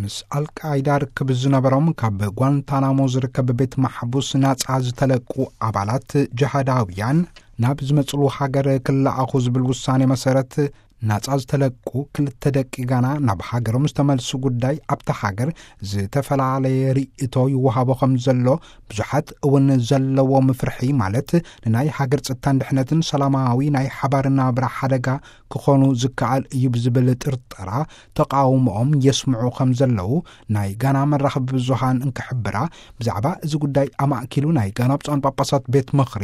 ምስ ኣልቃይዳ ርክብ ዝነበሮም ካብ ጓንታናሞ ዝርከብ ቤት ማሕቡስ ናጻ ዝተለቁ ኣባላት ጅሃዳውያን ናብ ዝመጽሉ ሃገር ክለኣኹ ዝብል ውሳኔ መሰረት፣ ናጻ ዝተለቁ ክልተ ደቂ ጋና ናብ ሃገሮም ዝተመልሱ ጉዳይ ኣብታ ሃገር ዝተፈላለየ ርእይቶ ይወሃቦ ከም ዘሎ፣ ብዙሓት እውን ዘለዎም ፍርሒ፣ ማለት ንናይ ሃገር ጸጥታን ድሕነትን ሰላማዊ ናይ ሓባር ናብራ ሓደጋ ክኾኑ ዝከኣል እዩ ብዝብል ጥርጠራ ተቃውሞኦም የስምዑ ከም ዘለዉ ናይ ጋና መራኸቢ ብዙሃን እንክሕብራ፣ ብዛዕባ እዚ ጉዳይ ኣማእኪሉ ናይ ጋና ብፁዓን ጳጳሳት ቤት ምኽሪ፣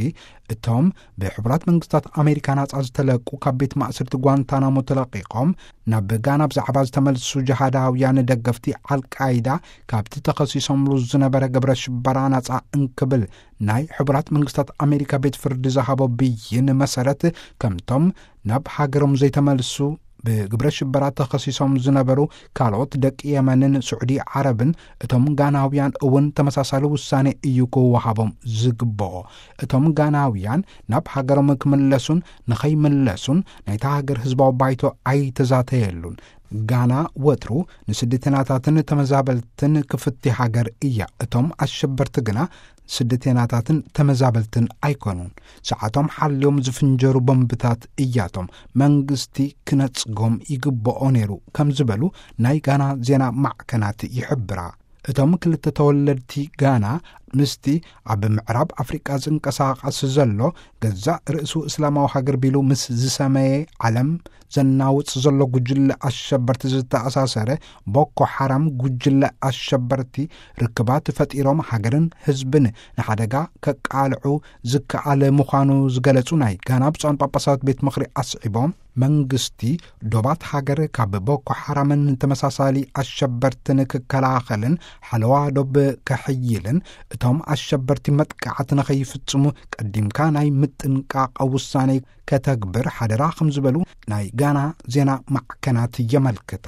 እቶም ብሕቡራት መንግስታት ኣሜሪካ ናጻ ዝተለቁ፣ ካብ ቤት ማእሰርቲ ጓንታናሞ ተለቂቖም ናብ ጋና ብዛዕባ ዝተመልሱ ጅሃዳውያን ደገፍቲ ኣልቃይዳ ካብቲ ተኸሲሶምሉ ዝነበረ ግብረ ሽበራ ናጻ እንክብል ናይ ሕቡራት መንግስታት ኣሜሪካ ቤት ፍርዲ ዝሃቦ ብይን መሰረት፣ ከምቶም ናብ ሃገሮም ዘይተመልሱ ብግብረ ሽበራ ተኸሲሶም ዝነበሩ ካልኦት ደቂ የመንን ስዑዲ ዓረብን፣ እቶም ጋናውያን እውን ተመሳሳሊ ውሳኔ እዩ ክወሃቦም ዝግብኦ። እቶም ጋናውያን ናብ ሃገሮም ክምለሱን ንኸይምለሱን ናይታ ሃገር ህዝባዊ ባይቶ ኣይተዛተየሉን። ጋና ወትሩ ንስደተኛታትን ተመዛበልትን ክፍቲ ሃገር እያ። እቶም ኣሸበርቲ ግና ስደተኛታትን ተመዛበልትን ኣይኮኑን። ሰዓቶም ሓልዮም ዝፍንጀሩ ቦምብታት እያቶም። መንግስቲ ክነጽጎም ይግብኦ ነይሩ ከም ዝበሉ ናይ ጋና ዜና ማዕከናት ይሕብራ። እቶም ክልተ ተወለድቲ ጋና ምስቲ ኣብ ምዕራብ ኣፍሪቃ ዝንቀሳቐስ ዘሎ፣ ገዛእ ርእሱ እስላማዊ ሃገር ቢሉ ምስ ዝሰመየ ዓለም ዘናውጽ ዘሎ ጉጅለ ኣሸበርቲ ዝተኣሳሰረ ቦኮ ሓራም ጉጅለ ኣሸበርቲ ርክባት ፈጢሮም ሃገርን ህዝብን ንሓደጋ ከቃልዑ ዝከኣል ምዃኑ ዝገለጹ ናይ ጋና ብፁዓን ጳጳሳት ቤት ምኽሪ ኣስዒቦም፣ መንግስቲ ዶባት ሃገር ካብ ቦኮ ሓራምን ተመሳሳሊ ኣሸበርትን ክከላኸልን ሓለዋ ዶብ ከሕይልን፣ እቶም ኣሸበርቲ መጥቃዕቲ ንኸይፍጽሙ ቀዲምካ ናይ ምጥንቃቕ ውሳኔ ከተግብር ሓደራ ከም ዝበሉ ናይ ጋና ዜና ማዕከናት የመልክታ።